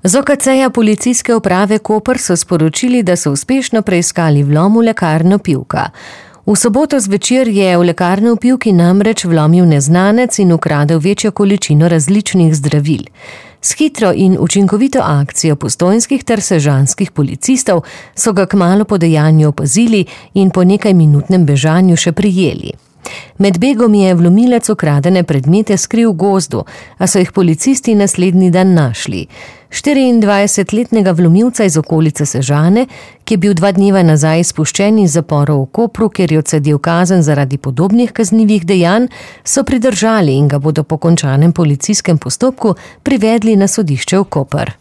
Z OKC-ja policijske uprave Koper so sporočili, da so uspešno preiskali vlom v lekarno Pivka. V soboto zvečer je v lekarno v Pivki namreč vlomil neznanec in ukradel večjo količino različnih zdravil. S hitro in učinkovito akcijo postojnskih ter sežanskih policistov so ga kmalu po dejanju opazili in po nekajminutnem bežanju še prijeli. Med begom je vlomilec ukradene predmete skril v gozdu, a so jih policisti naslednji dan našli. 24-letnega vlomilca iz okolice Sežane, ki je bil 2 dneva nazaj izpuščen iz zaporov v Kopru, ker je odsedel kazen zaradi podobnih kaznivih dejanj, so pridržali in ga bodo po končanem policijskem postopku privedli na sodišče v Koper.